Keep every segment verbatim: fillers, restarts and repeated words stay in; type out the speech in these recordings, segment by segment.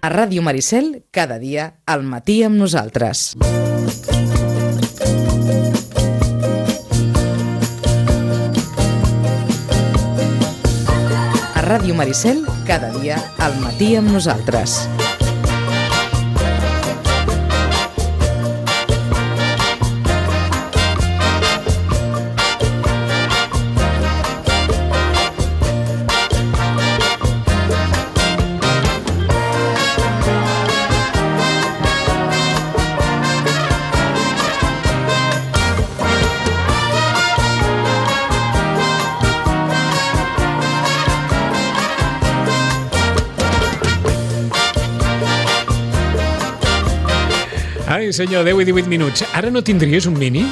A Ràdio Maricel, cada dia, al matí amb nosaltres. A Ràdio Maricel, cada dia, al matí amb nosaltres. Ai, senyor, deu i divuit minuts. Ara no tindries un mini?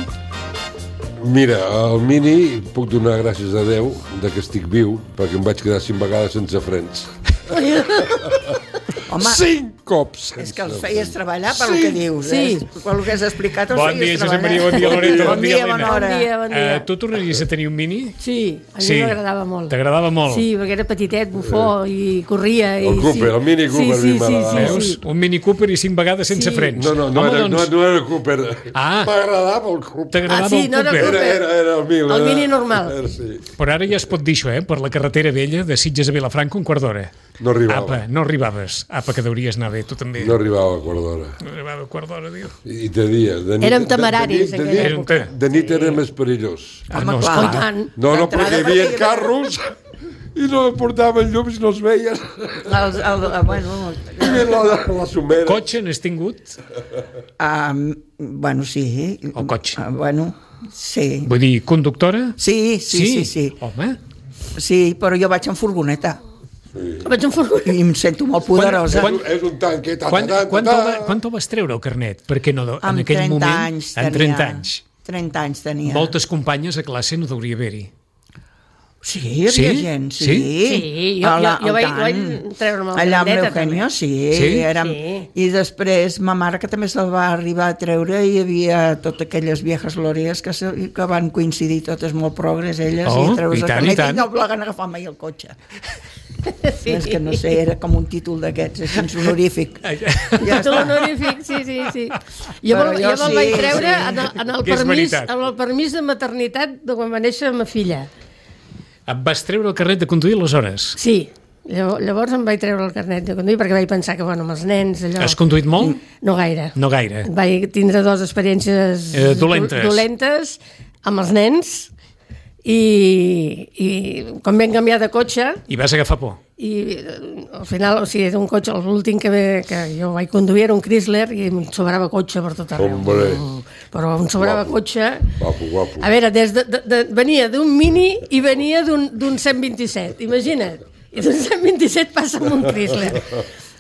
Mira, el mini puc donar gràcies a Déu de que estic viu, perquè em vaig quedar cinc vegades sense frens. Home, cinc cops! És que els feies treballar per el que dius, Sí. eh? Per el que has explicat els Bon feies dia, Josep treballar. Maria, bon dia, Loreto, bon dia, bona Helena. hora. Bon dia, bon dia. Uh, tu tornaries a tenir un mini? Sí, a mi Sí. m'agradava molt. T'agradava molt? Sí, perquè era petitet, bufó, i corria. El i, Cooper, sí. el Mini Cooper, sí, a sí, mi sí, m'agradava. sí, Veus? sí. Un Mini Cooper i cinc vegades sense Sí. frens. No, no, no, Home, era, doncs, no, no era el Cooper. Ah. M'agradava el Cooper. t'agradava Ah, sí, el no era Cooper. Cooper. Era, era, era el mil. El era, Mini normal. Era, sí. Però ara ja es pot dir això, eh? Per la carretera vella de Sitges a Vilafranca, un quart d'hora. No arribava. Apa, no arribaves. Apa, que deuries anar bé, tu també. No arribava a quart d'hora. No arribava a quart d'hora, diu. I de dia. De nit, Érem de- temeraris, de, de, aquella de, època. nit, de nit era més perillós. Ah, Home, no, clar. escolta. Tant. No, no, D'entrada, perquè hi havia perquè- carros i no portaven llums i no es veien. Els, el, el, bueno, I ve la, la somera. Cotxe n'has tingut? um, bueno, sí. El cotxe. Uh, bueno, sí. Vull dir, conductora? Sí, sí, sí, sí. Home, Sí, però jo vaig en furgoneta Vaig en furgoneta. i em sento molt poderosa. Quan- És un tanque. Ta, quan, ta, ta, quan, ta, te'l va, quan te'l vas treure, el carnet? Perquè no, en Amb aquell trenta moment... anys en tenia. trenta anys. trenta anys tenia. Moltes companyes a classe no deuria haver-hi. Sí, hi havia Sí? gent, sí. Sí? Sí, jo- A la- jo- jo al vaig- tant. vaig treure'm el Allà amb grandet, l'Eugenio, sí. Sí? Érem, Sí. I després ma mare, que també se'l va arribar a treure, i hi havia totes aquelles viejas glòries que, se, que van coincidir totes molt progres, elles, Oh, i treure's i el tant, carnet i tant. i no volen agafar mai el cotxe. Sí. És que no sé, era com un títol d'aquests, així honorífic. Ai, Ja Títol està. honorífic, sí, sí, sí. Jo, Però me'l- jo jo me'l sí, vaig treure sí. en el, en el Que és permís, veritat. en el permís de maternitat de quan va néixer ma filla. et vas treure el carnet de conduir aleshores? Sí, llavors, llavors em vaig treure el carnet de conduir perquè vaig pensar que, bueno, amb els nens, allò... Has conduït molt? No gaire. No gaire. Vaig tindre dues experiències Eh, dolentes. do- dolentes amb els nens i, i quan vam canviar de cotxe I vas agafar por? i eh, al final, o sigui, era un cotxe, l'últim que, ve, que jo vaig conduir era un Chrysler i em sobrava cotxe per tot arreu. Hombre. Però em sobrava Guapo. cotxe... Guapo, guapo. A veure, des de, de, de, venia d'un Mini i venia d'un d'un cent vint-i-set, imagina't. I d'un cent vint-i-set passa amb un Chrysler.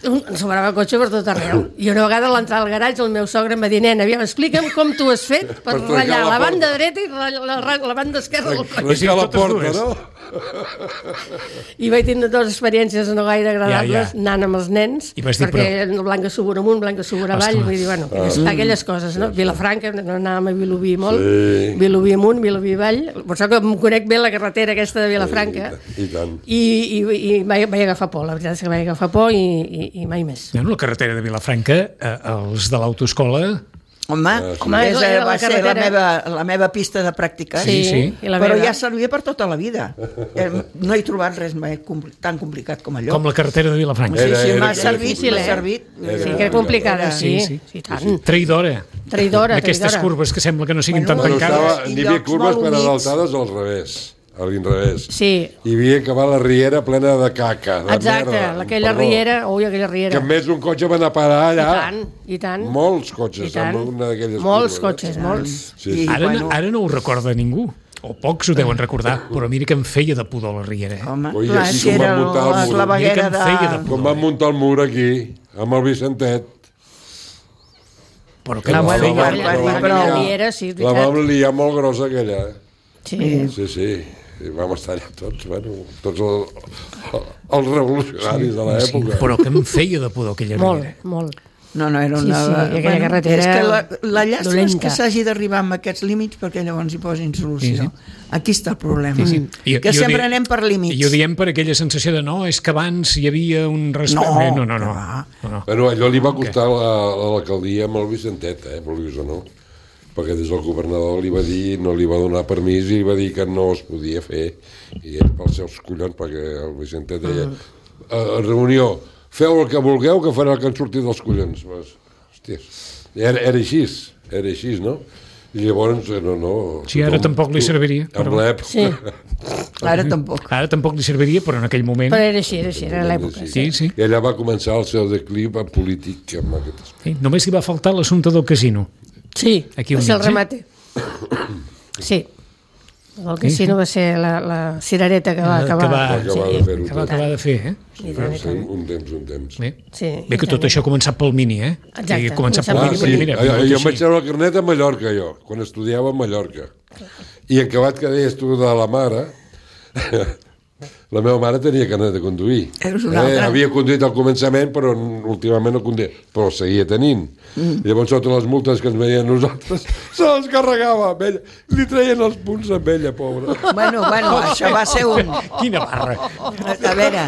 Un, em sobrava cotxe per tot arreu. I una vegada a l'entrar al garatge el meu sogre em va dir, nena, aviam, explica'm com t'ho has fet per, Per trencar ratllar la la, porta." banda dreta i la, la, la, la banda esquerra del cotxe. Trencar la totes porta, dues. no? I vaig tindre dues experiències no gaire agradables Ja, ja. anant amb els nens, I vas dir, perquè però... Blanca Subur amunt, Blanca Subur avall, Ostres. vull dir, bueno, aquelles, aquelles coses, no? Vilafranca, no anàvem a Vilobí molt, Sí. Vilobí amunt, Vilobí avall, per això que em conec bé la carretera aquesta de Vilafranca, I, i tant. i, i, i vaig, vaig agafar por, la veritat és que vaig agafar por i, i, i mai més. No, la carretera de Vilafranca, eh, els de l'autoescola... Home, Home, és, era la va ser la carretera. meva, la meva pista de pràctica. Sí, sí. I la Però meva. ja servia per tota la vida. Eh, No he trobat res mai compli- tan complicat com allò. Com la carretera de Vilafranca. Sí, Era- sí, era- m'ha era servit, difícil, m'ha eh? servit. Sí, que era complicada, sí, sí, sí, tant. Traïdora. Traïdora, D'aquestes traïdora. curves que sembla que no siguin Bueno, tan No tancades. estava I ni bé llocs curves molt per humits. adaltades al revés, a l'inrevés. Sí, Hi havia que va la riera plena de caca, de exacte, merda. aquella Perdó. riera, ui, aquella riera. Que més un cotxe va anar a parar I allà. tant, i tant. Molts cotxes, I tant. amb una d'aquelles Molts curves, eh? cotxes, molts. Sí, sí. I, Ara, bueno, no, ara no ho recorda ningú. O pocs ho deuen recordar, però mira que em feia de pudor la riera. Eh? home, Oi, clar, així si com era van muntar el la mur. claveguera Mira que em feia de... de- Com van muntar el mur aquí, amb el Vicentet. Però que Ah, em bueno, feia... bueno, Aquella- bueno, aquella però- riera, sí, és La veritat. vam liar molt grossa, aquella. eh? Sí. Sí, sí. I vam estar allà tots, bueno, tots el, els revolucionaris de Sí, l'època. però que em feia de pudor aquella Molt, riera. molt. No, no, era Sí, una... sí, aquella carretera és que la, la llàstima és dolenta. que s'hagi d'arribar amb aquests límits perquè llavors hi posin solució. Sí, sí. Aquí està el problema. Sí, sí. I- Que i ho sempre di- anem per límits. I ho diem per aquella sensació de no, és que abans hi havia un respecte... No, no, no, no. que va. no, no. Bueno, allò li va costar a la- a l'alcaldia amb el Vicentet, eh, vulguis o no, perquè des del governador li va dir, no li va donar permís i va dir que no es podia fer, i ell pels seus collons, perquè el Vicentet deia, a reunió, feu el que vulgueu, que farà el que han sortit dels collons. Pues, hòsties, era, era així, era així, no? I llavors, no, no... Sí, ara tampoc li serviria, En però- l'època... Sí. Ara tampoc. Ara tampoc li serviria, però en aquell moment... Però era així, era així, era l'època. Sí, sí. I allà va començar el seu declivi polític amb aquest aspecte. sí. Només li va faltar l'assumpte del casino. Sí, Aquí va al ser el mig, eh? remate. Sí. El casino va ser la, la cirereta que va acabar. que va, Va acabar de fer-ho que va tot. acabar de fer, eh? I tant, i Sí, tant. un temps, un temps. Bé, Sí, Bé que i tot tant. això ha començat pel mini, eh? Exacte, I ha començat pel començat Ah, mini, pel sí, perquè mira, jo, vingut jo em vaig així. treure el carnet a Mallorca, jo, quan estudiava a Mallorca. I en acabat que deies tu de la mare, la meva mare tenia carnet de conduir. Eres una altra. Havia conduït al començament, però últimament no conduïa, però seguia tenint. Mm. I llavors, sota les multes que ens veien nosaltres, se les carregava amb ella. Li treien els punts amb ella, pobra. Bueno, bueno, això va ser un... Quina barra. A veure,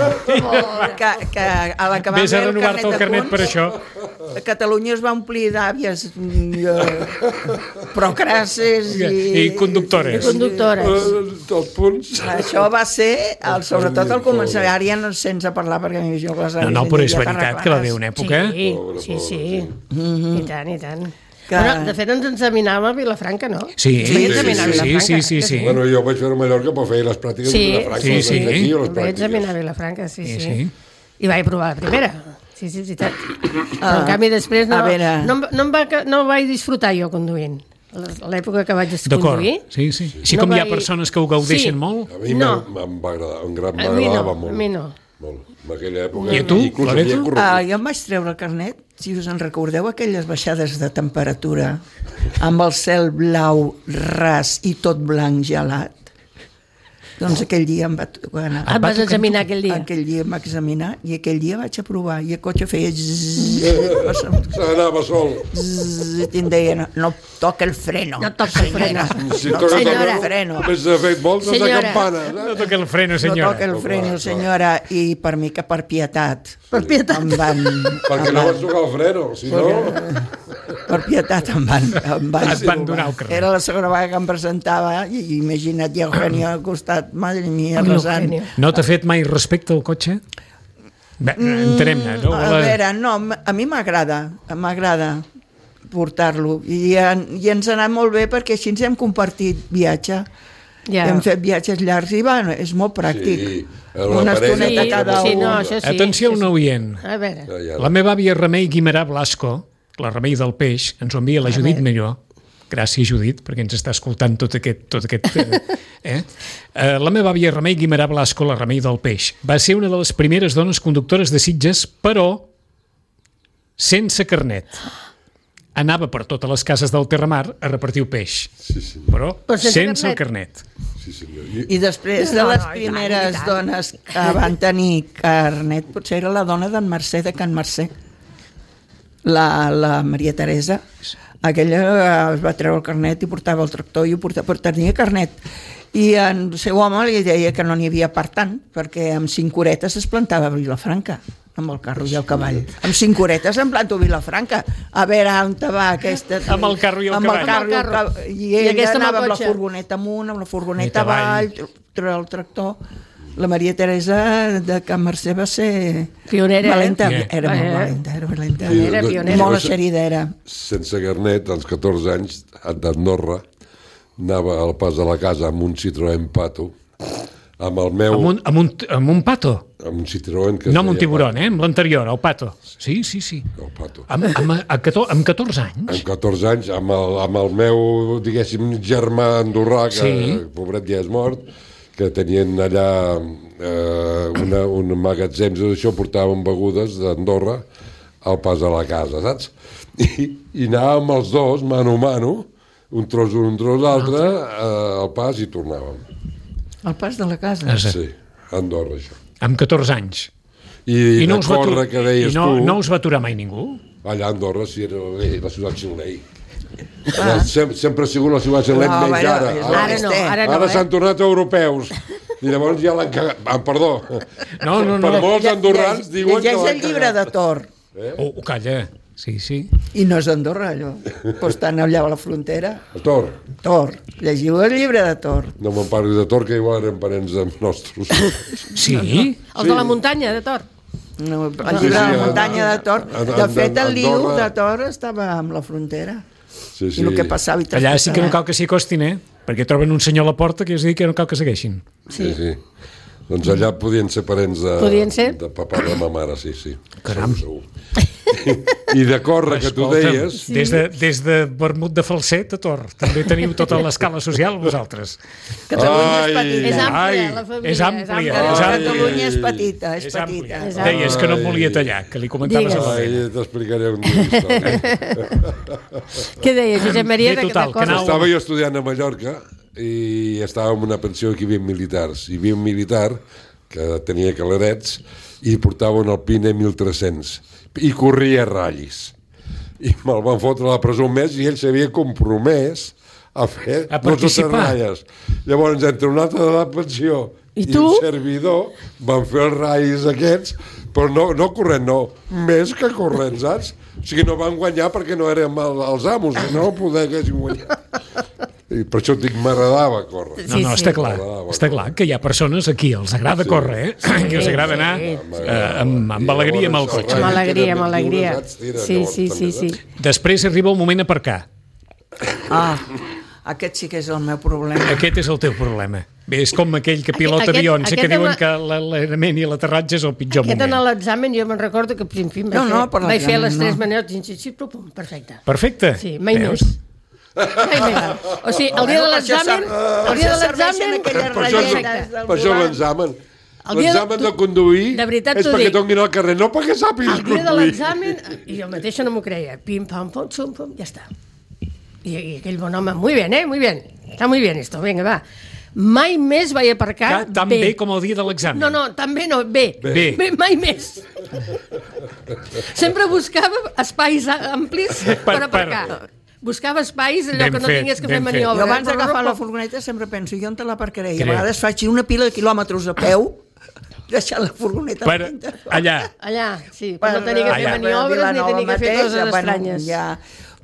que, que a l'acabar Vés a el renovar-te el carnet de per punts, això. a Catalunya es va omplir d'àvies mm, eh, procrasses i... I conductores. I conductores. Eh, Els punts... Això va ser, el, sobretot al començar, ara ja no sense parlar perquè m'hi jo les No, no, però és veritat que va haver una època... Sí, Pobre, sí, pobre, sí. sí. I tant, i tant. Que- Bueno, de fet, ens examinàvem a Vilafranca, no? Sí, Ens vaig sí, examinar a sí, Vilafranca. sí, sí, sí. Bueno, jo vaig fer a Mallorca per fer les pràctiques Sí, de Vilafranca. sí, les sí. d'aquí o les Em vaig examinar a pràctiques. Vilafranca, sí, Sí, sí. sí. I vaig provar la primera. Sí, sí, és veritat. Però, en canvi, després no, a veure. no, em- no, em va, no vaig disfrutar jo conduint. A l'època que vaig D'acord, conduir. sí, sí. Així No com hi ha vaig- persones que ho gaudeixen Sí. molt... A mi No. no. em va agradar, en gran A mi no, m'agradava a molt. mi no. Molt. En aquella època... I a tu, inclús Loreto? havia corregut. Ah, jo em vaig treure el carnet, si us en recordeu, aquelles baixades de temperatura amb el cel blau ras i tot blanc gelat. Doncs aquell dia em va tocar anar. Et vas examinar aquell dia. Aquell dia em va examinar i aquell dia vaig aprovar i el cotxe feia zzz, S'anava sol. zzz, i em deia, no, no toca el freno. No toca el freno. Si No toca toca Senyora. el freno. Més de fet voltes de Senyora. campana. No toca el freno, No senyora. toca el freno, senyora. I per mi que per pietat. Per pietat. Em van... Perquè em no van- vas tocar el freno, si no... Per pietat em van... Em van, Et van donar el carnet. Era la segona vegada que em presentava i imagina't, i Eugenio al costat, madre mia, Amb resant. l'Eugenio. No t'ha fet mai respecte al cotxe? Bé, entenem-ne, no? A veure, no, a mi m'agrada, m'agrada portar-lo i, en- i ens ha anat molt bé perquè així ens hem compartit viatge. Ja. Hem fet viatges llargs i bueno, és molt pràctic. Sí, la Una parella- estoneta Sí, cada sí, un. no, això sí. Atenció a sí, un sí. oient. A veure. Ja, ja. La meva àvia Remei Guimerà Blasco, la Remei del Peix, ens ho envia la Judit veure. Millor. Gràcies, Judit, perquè ens està escoltant tot aquest... Tot aquest eh, eh? Eh, la meva àvia Remei Guimerà Blasco, la Remei del Peix, va ser una de les primeres dones conductores de Sitges, però sense carnet. Anava per totes les cases del Terramar a repartir peix, Sí, sí, però, Però sense sense el carnet. sí, senyor. I, I després de No, les no, i tant, primeres i tant. dones que van tenir carnet, potser era la dona d'en Mercè de Can Mercè, la, la Maria Teresa. Aquella eh, es va treure el carnet i portava el tractor i ho portava, però tenia carnet. I el seu home li deia que no n'hi havia per tant, perquè amb cinc horetes es plantava a Vilafranca, amb el carro i el cavall. Amb cinc horetes em planto a Vilafranca. A veure on te va aquesta... Amb el carro i el amb cavall. El carro i, el Amb el cavall. I I ella aquesta amb el anava amb la cotxe. furgoneta amunt, amb la furgoneta I avall. avall, treure el tractor. La Maria Teresa de Can Mercè va ser... Pionera, valenta, eh? era molt Eh. valenta, era valenta. Pionera, no- pionera. Molt eixerida era. sense carnet, als catorze anys, d'Andorra, anava al pas de la casa amb un Citroën Pato, amb el meu... Amb un, amb un, amb un pato. Amb un Citroën que es No amb un deia tiburon, eh? Amb l'anterior, el pato. Sí, sí, sí. Pato, el Pato. Amb, amb, amb, catorze, amb catorze anys? Amb catorze anys, amb el, amb el meu, diguéssim, germà andorrà, que Sí. pobret ja és mort, que tenien allà eh, una, un magatzem d'això, portaven begudes d'Andorra al pas a la casa, saps? I, i anàvem els dos, mano a mano, un tros un, un tros l'altre, eh, al pas i tornàvem. Al pas de la casa. Esa. Sí, a Andorra, això. Amb catorze anys. I, I no de us va córrer, atu- que deies I no, tu... no us va aturar mai ningú? Allà a Andorra sí era la ciutat xilei. Sem sempre ha sigut la ciutat xilei No, menys bueno, ara. és Ara, Ara no, ara no, ara eh? s'han tornat europeus. I llavors ja l'han cagat. Ah, perdó. No, no, no. Per molts Lle- andorrans lle- diuen que llegeix l'han el llibre de cagat. Thor. Oh, oh, calla. Sí, sí. I no és d'Andorra, allò. Però estan allà a la frontera. Tor, Thor. Llegiu el llibre de Thor. no me'n parlis de Tor, que igual eren parents de nostres. Sí? Els de la muntanya, de Tor. No, el Sí, llibre sí, de la a- muntanya de Thor. a- a- De fet, el liu Andorra- de Thor estava amb la frontera. Sí, sí. I el que passava i Allà sí que no traspassava. cal que s'hi acostin, eh? Perquè troben un senyor a la porta que és dir que no cal que segueixin. Sí, sí. Doncs allà podien ser parents de, Podien ser? de papà i de ma mare, sí, sí. Caram. Segur, segur. I de córrer, que tu Escolta'm, deies... des de, des de vermut de falset a Tor, també teniu tota l'escala social vosaltres. Catalunya és Ai. petita. És àmplia, Ai, la família. és àmplia, àmplia. és àmplia. Catalunya és petita, és, És petita. àmplia. És àmplia. Deies que no et volia tallar, que li comentaves a Digues. la Ai, feina. t'explicaré un dia història. Què deia, Josep Maria? Bé, de- total, de que coses? anau- Estava jo estudiant a Mallorca i estava en una pensió que hi havia militars. Hi havia un militar que tenia calarets i portava un Alpine mil tres-cents i corria ratllis. I me'l van fotre a la presó un mes i ell s'havia compromès a fer A dos o tres participar. ratlles. Llavors, entre un altre de la pensió I i, tu? un servidor, van fer els ratllis aquests, però no, no corrent, no, més que corrent, saps? O sigui, no van guanyar perquè no érem el, els amos, si no poder haguessin guanyat. I per això dic, m'agradava córrer. No, Sí, no, sí. està clar. M'agradava Està clar que hi ha persones a qui els agrada córrer, eh? I els agrada anar eh, amb, amb alegria amb el cotxe. Amb alegria, amb alegria. Sí, sí, sí, sí. Després arriba el moment aparcar. Ah, aquest sí que és el meu problema. Aquest és el teu problema. Bé, és com aquell que pilota Aquest- avions, eh, que aquest diuen ama- que l'alerament i l'aterratge és el pitjor Aquest en moment. l'examen jo me'n recordo que, en fi, em No, vaig, no, fer, per vaig fer l'examen les tres no. maneres, i sí, pum, pum, perfecte. Perfecte. Sí, mai Veus? més. Mai més. O sigui, el dia de Bueno, per això l'examen, ser- el dia de per això serveixen l'examen, aquelles Per això, ratlletes del per això volant. l'examen. El dia de- L'examen de conduir de veritat és t'ho perquè dic. t'onguin al carrer, no perquè sàpigues el dia de conduir. l'examen, i jo mateixa no m'ho creia, pim, pam, pum, xum, pum, ja està. I, I aquell bon home, muy bien, eh, muy bien, està muy bien esto, vinga, va. Mai més vaig aparcar Que tan bé. bé com el dia de l'examen. No, no, també no, bé. Bé. bé mai més. Sempre buscava espais amplis per, Per- aparcar. per- Buscava espais allò Ben que no fet, tingués que ben fer fet. maniobra. Jo abans eh? d'agafar la furgoneta sempre penso, jo on te l'aparcaré? I a Creu. vegades faig una pila de quilòmetres a peu, deixant la furgoneta Per, al interior. allà. Allà, sí, per no tenir que fer allà. maniobres ni Vilanova tenir que fer mateix, coses bueno, estranyes. Ja,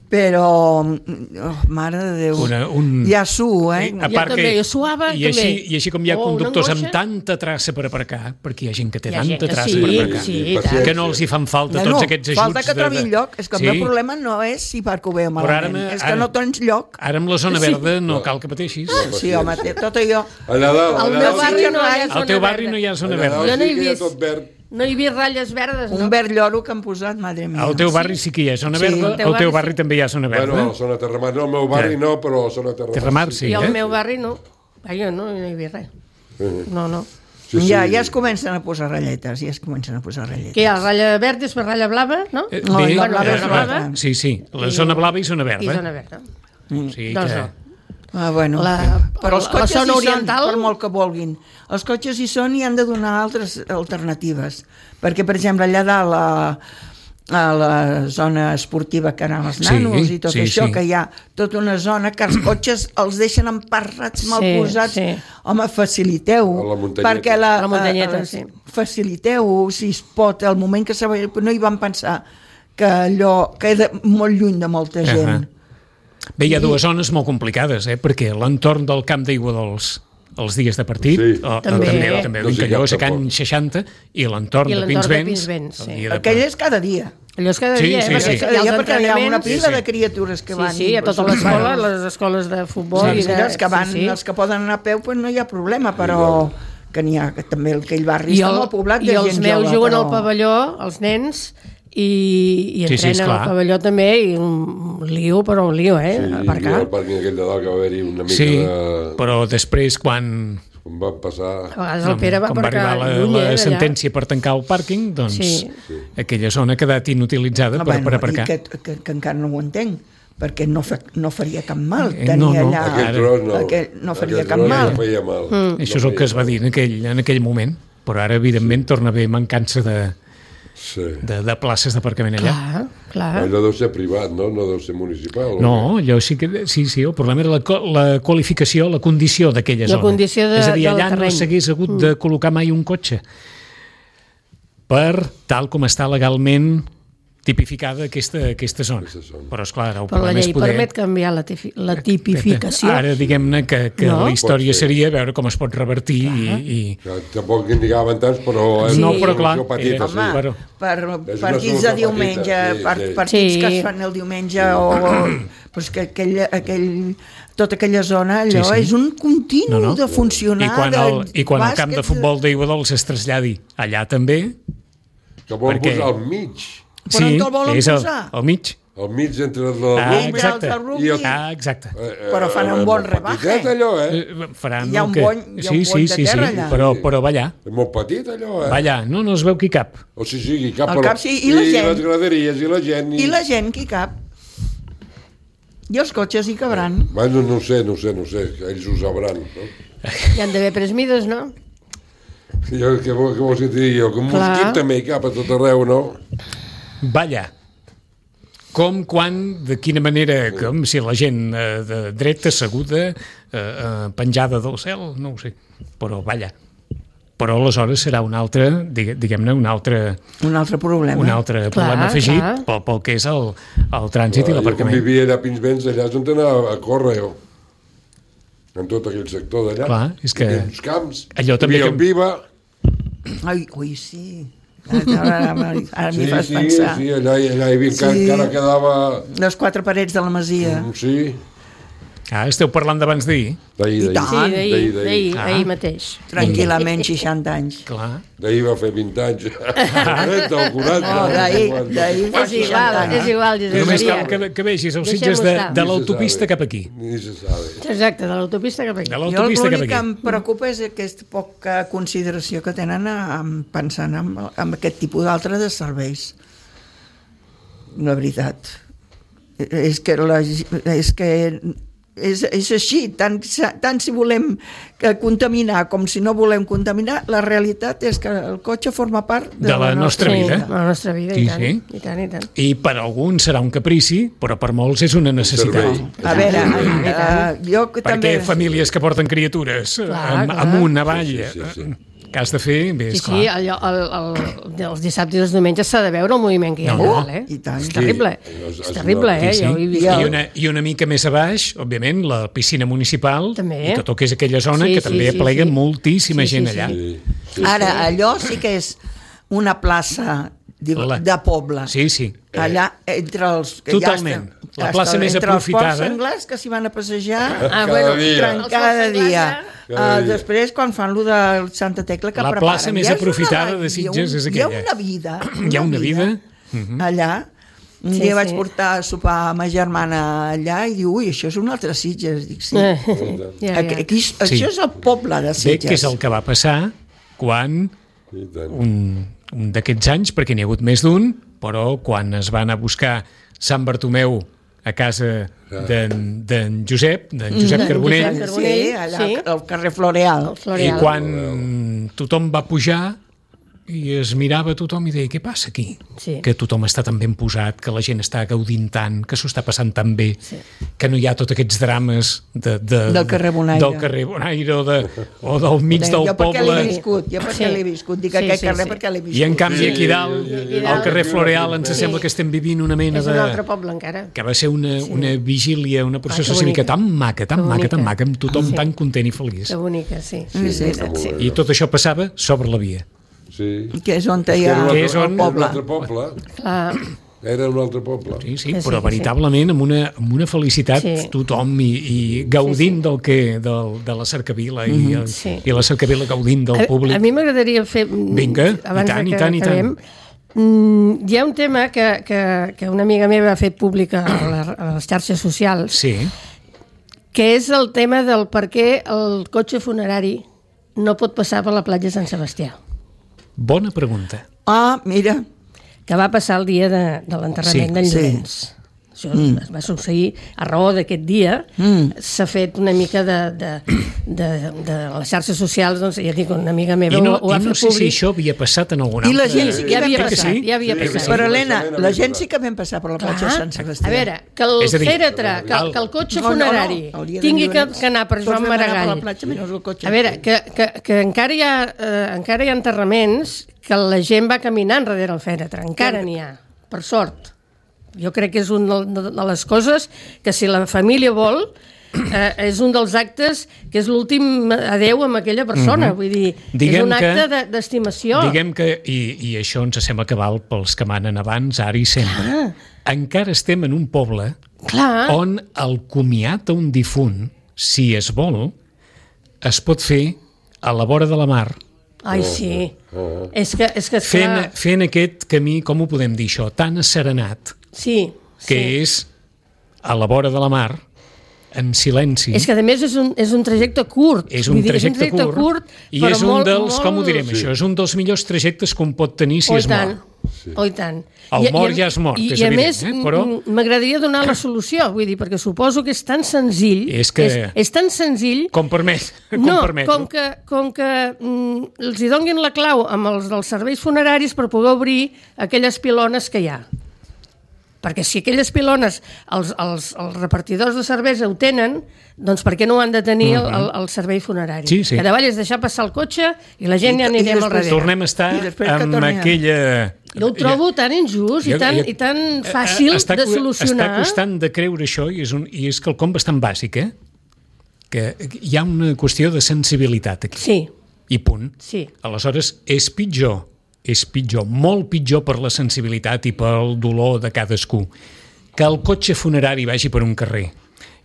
però, oh, mare de Déu, Una- un- ja suo, eh? A Jo part també, que, jo suava, i així, també. I així com hi ha Oh, una conductors amb angoixa. tanta traça per aparcar, perquè hi ha gent que té Hi ha gent tanta que traça sí, per aparcar, sí, I i tant. paciència. que no els hi fan falta No, tots no, aquests ajuts. falta que trobi de, de... lloc. És que el Sí. meu problema no és si parco bé o Però ara, malament, és que ara- no tens lloc. Ara amb la zona verda no cal que pateixis. Sí, home, té- tot allò... Allà dalt, Al allà meu dalt, barri sí, no hi ha Al zona teu barri verda. no hi ha zona allà verda. dalt Jo no sí he que hi ha vist. tot verd. No hi havia ratlles verdes, no? Un verd lloro que han posat, madre mia. Al teu barri sí que hi ha zona Sí. verda, Al teu al teu barri barri sí. també hi ha zona verda. Bueno, a la zona Terramar, no, al meu barri Què? no, però a la zona Terramar. Terramar sí, I al eh? meu barri no. Vaja, no, no hi havia res. No, no. Sí, sí. Ja, ja es comencen a posar ratlletes, ja es comencen a posar ratlletes. Què hi ha? Ratlla verda és per ratlla blava, no? Eh, No, bé, la blava eh, és blava. Sí, sí, la zona blava i zona I verda. zona verda. Sí, Doncs que... no. Ah, bueno. La- però els la cotxes zona hi oriental- són, per molt que vulguin. Els cotxes hi són i han de donar altres alternatives. Perquè, per exemple, allà dalt a, a la zona esportiva que anaven els Sí, nanos i tot sí, això, sí. que hi ha tota una zona que els cotxes els deixen emparrats, mal Sí, posats. sí. Home, faciliteu. A la muntanyeta. Perquè la, A la muntanyeta, eh, sí. Faciliteu, si es pot, el moment que se va... No hi van pensar que allò queda molt lluny de molta gent. Ahà. Bé, hi ha dues zones molt complicades, eh? Perquè l'entorn del camp d'aigua dels els dies de partit, Sí. o, També. també, també No el sé Vincallós, cap a Can tampoc. seixanta, i l'entorn I de l'entorn de Pinsbens. Pinsbens, sí. el dia de- Aquell és cada dia. Allò és cada Sí, dia, sí, eh? sí. Perquè Cada hi ha dia els perquè hi ha una entrenaments. pila Sí, sí. de criatures que Sí, van. sí, a totes són les escoles, pares. les escoles de futbol. Sí, i sí, de... els que van, sí, sí. els que poden anar a peu, pues no hi ha problema, però que n'hi ha que també aquell barri I, està el, molt poblat de i els gent meus jove, juguen però... al pavelló, els nens, i, i Sí, sí, entrenen esclar. al pavelló també, i un lío, però un lío, eh? Sí, a i aparcar. al pàrquing aquell de dalt que va haver-hi una mica Sí, de... però després, quan, Com va passar... A vegades el Pere va quan va aparcar arribar la, lluny, eh, la d'allà. sentència per tancar el pàrquing, doncs Sí. aquella zona ha quedat inutilitzada Ah, per, bueno, per aparcar. I que, que, que encara no ho entenc, perquè no, fa, no faria cap mal Eh, tenir no, no. allà... Aquell ara- tros no. Aquell no faria Aquell cap tros mal. No feia mal. Mm. Això és el que es va dir en aquell, en aquell moment, però ara, evidentment, torna a haver mancança de, Sí. de, de places d'aparcament allà. Clar, clar. Allò deu ser privat, no? No deu ser municipal. No, allò sí que... Sí, sí, el problema era la, co- la qualificació, la condició d'aquella La zona. condició de- És a dir, del allà no terreny. s'hagués hagut de col·locar mai un cotxe per tal com està legalment tipificada aquesta, aquesta zona. Aquesta zona. Però, esclar, el Però la problema és llei poder... permet canviar la, tifi la tipificació. Ara, diguem-ne que, que No? la història Pot ser. seria veure com es pot revertir i, i... Que tampoc en digaven tants, però... és Sí. No, una però clar, solució petita, era- sí. Home, però- per És una partits de solució diumenge, petita, sí, per, sí. partits Sí. que es fan el diumenge o... Pues que aquell, aquell, tota aquella zona, allò Sí, sí. és un continu No, no. de funcionar. I quan el, de i quan el camp de bàsquet, futbol d'Iguadols es traslladi allà també, Que volen perquè- posar al mig, Però on te'l volen és al, posar? al mig. al mig entre la Ah, rugby exacte. del rugby. i el... Ah, exacte. eh, eh, Però fan un eh, bon molt rebaje. petitet, allò, eh? Eh, Faran Hi ha el un que... bony- hi ha sí, un sí, bony de sí, terra sí, allà. però, però va allà. És molt petit, allò, eh? Va allà, no, no es veu qui cap. O sigui, sí, cap, El però... cap, sí, i la gent. les graderies, i la gent... I la gent qui cap? I els cotxes hi cabran. Bueno, no ho sé, no ho sé, no ho sé, ells ho sabran, no? Hi han d'haver presmides, no? Jo, què, vol, què vols que t'hi digui jo? Que un Clar. mosquit també hi cap a tot arreu, no? Va allà. Com, quan, de quina manera, com si la gent eh, de dreta, asseguda, eh, eh, penjada del cel, no ho sé, però va allà. Però aleshores serà un altre, digue- diguem-ne, un altre, Un altre problema. un altre Clar, problema afegit clar. pel, pel que és el, el trànsit i Jo quan l'aparcament. vivia allà a Pinsbens, allà és on anava a córrer, jo. En tot aquell sector d'allà. Clar, és que Hi havia uns camps. allò també Hi havia que- el Viva. Ai, ui, sí. Ara, ara, ara m'hi Sí, fas sí, pensar. sí, allà, allà hi havia, Sí. sí. encara quedava... Les quatre parets de la masia. Mm, Sí, Ah, esteu parlant d'abans d'ahir? d'ahir, I d'ahir. tant. Sí, Ah, d'ahir, d'ahir, Ah. ahir mateix. Tranquil·lament seixanta anys. Clar. D'ahir va fer vint anys. Del quaranta. No, d'ahir- d'ahir fa És igual, és igual, Josep Només Maria. cal que, que vegis els Deixem-ho sitges de, estar. de Ni se l'autopista sabe. cap aquí. Ni se sabe. Exacte, de l'autopista cap aquí. De Jo l'autopista cap l'únic que aquí. em preocupa és aquesta poca consideració que tenen en, pensant en, en aquest tipus d'altre de serveis. La veritat. És que, la, és que és, és així, tant, tant si volem que contaminar com si no volem contaminar, la realitat és que el cotxe forma part de, De la nostra Sí, vida. de la nostra vida, Sí, i tant, sí. i tant, i tant. I per alguns serà un caprici, però per molts és una necessitat. servei. A veure, I tant. uh, jo que Perquè també... famílies que porten criatures eh, Clar, am- clar. amunt, avall, Sí, sí, sí, sí. eh, que has de fer, bé, Sí, esclar. sí, allò, el, el, els dissabtes i els diumenges s'ha de veure el moviment que hi ha. No, no. allà, eh? I tant. És terrible, És- és és terrible, una- eh? Sí, sí. Jo ho he vist. I, una, I una mica més a baix, òbviament, la piscina municipal També. i tot el que és aquella zona, Sí, que sí, també sí, aplega sí. moltíssima Sí, sí, gent sí. allà. Sí, sí. Ara, allò sí que és una plaça de, La- de poble. Sí, sí. Allà, entre els... que Totalment. Ja La està, plaça està més entre aprofitada. els porcs senglars que s'hi van a passejar Ah, Cada bueno, dia. tren- els cada porcs dia. senglars, Cada Uh, dia. després, quan fan lo de Santa Tecla, que La preparen... plaça més Hi ha una- aprofitada de hi ha Sitges un- és Hi ha aquella. una vida. Hi ha una vida. Allà. Un Sí, dia sí. vaig portar a sopar a ma germana allà i diu, ui, això és un altre Sitges. Dic, sí. Eh, ja, Aquí, ja. aquí, això és el poble de Bé, Sitges. que és el que va passar quan I tant. un, un d'aquests anys, perquè n'hi ha hagut més d'un, però quan es van a buscar Sant Bartomeu a casa d'en d'en Josep, d'en Josep D'en Carbonell, Josep Sí, Carbonell, allà sí. al carrer Floreal. El i Floreal. quan tothom va pujar i es mirava a tothom i deia, què passa aquí? Sí. Que tothom està tan ben posat, que la gent està gaudint tant, que s'ho està passant tan bé, sí. que no hi ha tots aquests drames de, de, Del carrer Bonaire. del carrer Bonaire o, de, o del mig del jo perquè l'he poble. viscut, jo perquè Sí. l'he viscut, dic Sí, aquest sí, carrer sí. perquè l'he viscut. I en canvi aquí dalt, aquí al dalt. carrer Floreal, ens Sí. sembla que estem vivint una mena És un altre de... poble, encara. que va ser una, una vigília, una processó que cívica bonica. tan maca, tan Que maca, tan bonica. maca, amb tothom Sí. tan content i feliç. Que bonica, sí. Sí, sí, sí. és veritat, sí. I tot això passava sobre la via. Sí. Que és on hi Era un ha Que altre, és on- un poble. altre poble. Clar, Era un altre poble. Sí, sí, Sí, però sí, veritablement amb una, amb una felicitat Sí. tothom i, i gaudint del que del, de la cercavila i, el, Sí. i la cercavila gaudint del a, públic. a mi m'agradaria fer... Vinga, i abans tant, de i que tant, i tant. acabem, mm, hi ha un tema que, que, que una amiga meva ha fet pública a, la, a les xarxes socials, Sí, que és el tema del per què el cotxe funerari no pot passar per la platja de Sant Sebastià, bona pregunta. Ah, mira, que va passar el dia de, de l'enterrament Sí, d'en sí. Llorenç. això mm. es va succeir a raó d'aquest dia, mm. s'ha fet una mica de, de, de, de les xarxes socials, doncs ja dic, una amiga meva I no, ho, ho ha i no fet sé públic. si això havia passat en algun I altre... la gent sí que ja havia vam passat, sí? ja havia Sí, passat. sí. Però, Helena, Començament la havia gent passat. sí que vam passar per la platja Clar. Sant Sebastià. A veure, que el És a dir, fèretre, que, que el cotxe No, no, no, funerari el dia de tingui que, Llorenç, que anar per tots Joan vam anar per Maragall. la platja, menys el cotxe. A veure, que, que, que encara, hi ha, eh, encara hi ha enterraments que la gent va caminant darrere el fèretre, encara n'hi ha, per sort. Jo crec que és una de les coses que si la família vol, eh, és un dels actes que és l'últim adeu amb aquella persona. Mm-hmm. Vull dir, Diguem és un acte que- de- d'estimació. Diguem que, i, i això ens sembla que val pels que manen abans, ara i sempre, encara estem en un poble Clar. on el comiat a un difunt, si es vol, es pot fer a la vora de la mar, Ai, sí. És que, és que fent, esclar, fent aquest camí, com ho podem dir això, tan asserenat, sí, que sí. és a la vora de la mar, en silenci. És que a més és un, és un trajecte curt. És un Vull dir, trajecte, és un trajecte curt, i però és un molt, dels, molt... com ho direm, Sí. això, és un dels millors trajectes que un pot tenir si Oh, es i tant. mor. Oh, i tant. El I- mort i a- ja és mort, i, és i a evident, més, eh? Però- m- m'agradaria donar la solució, vull dir, perquè suposo que és tan senzill... És que- És, és tan senzill... Com permet, com no, permet. com que, com que mm, els hi donguin la clau amb els dels serveis funeraris per poder obrir aquelles pilones que hi ha. Perquè si aquelles pilones els, els, els repartidors de cervesa ho tenen, doncs per què no ho han de tenir el, el, el servei funerari? Sí, sí. Que davall és deixar passar el cotxe i la gent I- ja i anirem al després darrere. Tornem a estar I després que amb torni a- aquella... Jo ho trobo tan injust i tan, i tan fàcil Eh, està, de solucionar. Està costant de creure això i és, un, i és quelcom bastant bàsic, eh? Que hi ha una qüestió de sensibilitat aquí. Sí, I punt. sí. Aleshores, és pitjor, és pitjor, molt pitjor per la sensibilitat i pel dolor de cadascú, que el cotxe funerari vagi per un carrer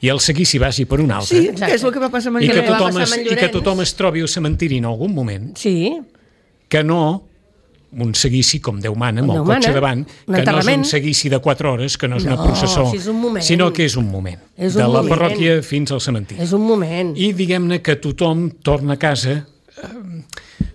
i el seguici vagi per un altre, Sí, Exacte. que és el que va passar amb i, en que va tothom passar es, amb en i que Llorenç. tothom es trobi al cementiri en algun moment, Sí, que no un seguici com Déu mana, amb Com el Déu cotxe mana, davant, un que no és enterrament. un seguici de quatre hores, que no és una No, processó, si és un moment. sinó que és un moment, És de un la moment. parròquia fins al cementiri. és un moment. I diguem-ne que tothom torna a casa, eh,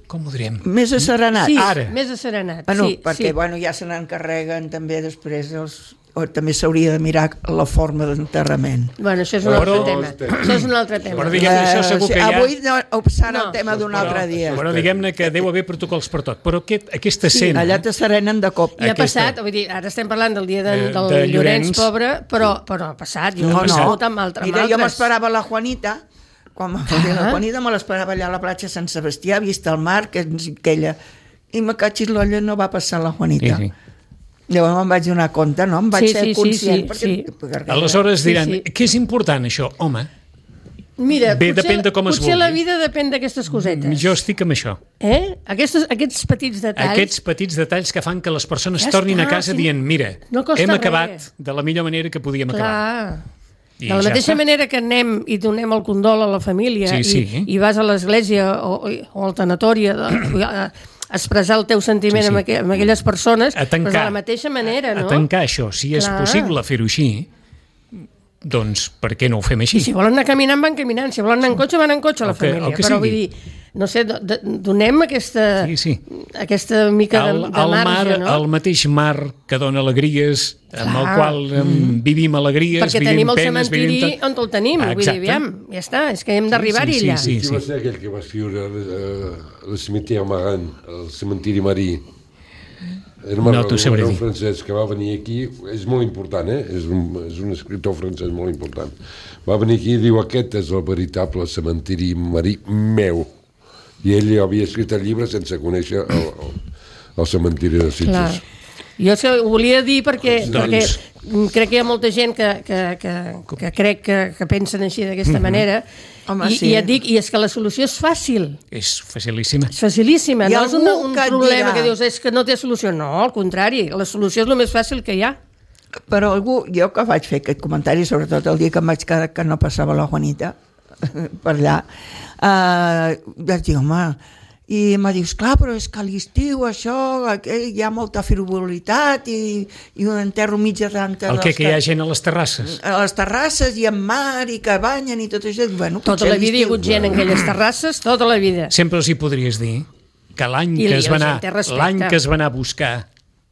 com ho direm? Més asserenat. Sí, ara. més asserenat. Bueno, sí, perquè sí. bueno, ja se n'encarreguen també després els... O també s'hauria de mirar la forma d'enterrament. Bueno, això és un Però- altre tema. Això és un altre tema. Però diguem, això segur que hi ha... Avui no, serà No. el tema d'un altre dia. Però diguem-ne que deu haver protocols per tot. Però aquest, aquesta Sí, escena... allà t'asserenen de cop. I ha aquesta- passat, vull dir, ara estem parlant del dia de, De- del de Llorenç, Llorenç. pobre, però, però ha passat, jo No, he no. passat amb, altre, amb Mira, jo altres. m'esperava la Juanita, quan ah. la Juanita me l'esperava allà a la platja Sant Sebastià, vista el mar, que és aquella... I me catxis l'olla, no va passar la Juanita. Sí, sí. Llavors me'n vaig donar compte, no? Em vaig Sí, ser sí, sí, conscient. sí, perquè, sí. perquè- Aleshores Sí, diran, sí. què és important això? Home, Mira, Bé, potser, depèn de com es potser la vulgui. vida depèn d'aquestes cosetes. jo estic amb això. Eh? Aquests, aquests petits detalls... Aquests petits detalls que fan que les persones Ja tornin està, a casa sí. dient, mira, No costa hem res. acabat de la millor manera que podíem acabar. Clar. I De la ja mateixa està. manera que anem i donem el condol a la família Sí, sí. i, i vas a l'església o, o al tanatori a, a expressar el teu sentiment Sí, sí. Amb, aqu amb aquelles persones, A tancar, doncs de la mateixa manera, a, no? a tancar això. Si és Clar. possible fer-ho així, doncs per què no ho fem així? I si volen anar caminant, van caminant. Si volen anar en cotxe, van en cotxe, la El que- el família. que Però sigui. vull dir, no sé, do- de- donem aquesta, Sí, sí. aquesta mica de, el, de el marge, mar, no? el mateix mar que dona alegries, amb el Clar. qual em, vivim alegries, Perquè vivim tenim el penes, cementiri vivim tot. on el tenim. Vull dir, Exacte. aviam, ja està, és que hem d'arribar-hi Sí, sí, allà. sí, Qui va ser aquell que va escriure eh, el cementiri Maran, el cementiri marí? Era No t'ho sabré un dir. francès que va venir aquí, és molt important, eh? És un, és un escriptor francès molt important. Va venir aquí i diu, aquest és el veritable cementiri marí meu. I ell havia escrit el llibre sense conèixer el, el, el cementiri de Sitges. Clar. Jo és que ho volia dir perquè, Doncs- perquè crec que hi ha molta gent que, que, que, que crec que, que pensen així d'aquesta manera. Home, I, sí. I et dic, i és que la solució és fàcil. És facilíssima. És facilíssima, Hi ha no és una, algú un que et problema dirà- que dius és que no té solució. No, al contrari, la solució és el més fàcil que hi ha. Però algú, jo que vaig fer aquest comentari, sobretot el dia que em vaig quedar que no passava la Juanita per allà, eh, vaig dir, home, i em va dir, esclar, però és que a l'estiu això, aquí hi ha molta frivolitat i, i un enterro mig arranca El que, que hi ha gent a les terrasses. a les terrasses i en mar i que banyen i tot això. Bueno, Tota potser la vida hi ha l'estiu- hagut gent en aquelles terrasses, tota la vida. Sempre els hi podries dir que l'any I que, la es va anar, gent té respecte. l'any que es va anar a buscar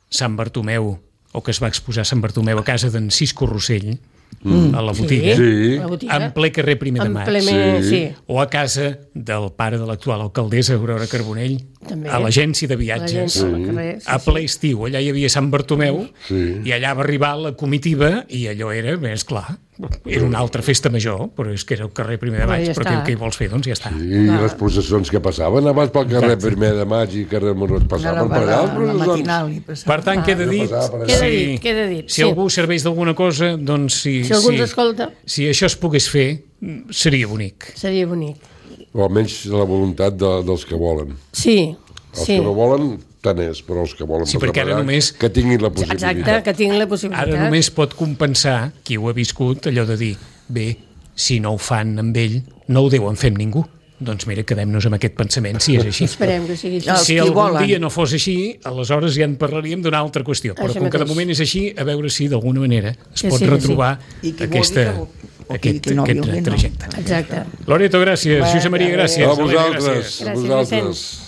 Sant Bartomeu o que es va exposar a Sant Bartomeu a casa d'en Cisco Rossell, mm. a la botiga, Sí. La botiga. en ple carrer Primer de En Maig, ple me- Sí. sí. o a casa del pare de l'actual alcaldessa Aurora Carbonell, També. a l'agència de viatges, L'agència del carrer, sí, a sí. ple estiu, allà hi havia Sant Bartomeu, Sí. i allà va arribar la comitiva, i allò era, més clar, era una altra festa major, però és que era el carrer Primer de Però Maig, ja però està. què, què hi vols fer? Doncs ja està. I les processons que passaven abans pel carrer Exacte. Primer de Maig i carrer Monroig passaven per allà. la, les la processons. matinal i passava. Per tant, queda dit, passava per allà. Queda si, dit, queda dit, si sí. algú serveix d'alguna cosa, doncs si, Si algú ens escolta. si això es pogués fer, seria bonic. Seria bonic. O almenys la voluntat de, dels que volen. Sí, Els sí. que no volen, tant és, però els que volen Sí, passar perquè ara per allà, només- que tinguin la possibilitat. Exacte, que tinguin la possibilitat. Ara només pot compensar qui ho ha viscut allò de dir, bé, si no ho fan amb ell, no ho deuen fer amb ningú. Doncs mira, quedem-nos amb aquest pensament, si és així. Esperem que sigui així. Els Si qui algun volen. dia no fos així, aleshores ja en parlaríem d'una altra qüestió. Però Això com que de mateix. moment és així, a veure si d'alguna manera es Que pot sí, que retrobar sí. I qui aquesta, vulgui que vo- o qui- aquest, qui no aquest vulgui, no. trajecte. Exacte. Loreto, gràcies. Bé, Josep Maria, bé. gràcies. A Helena, vosaltres, gràcies. a Gràcies, vosaltres. Vicenç.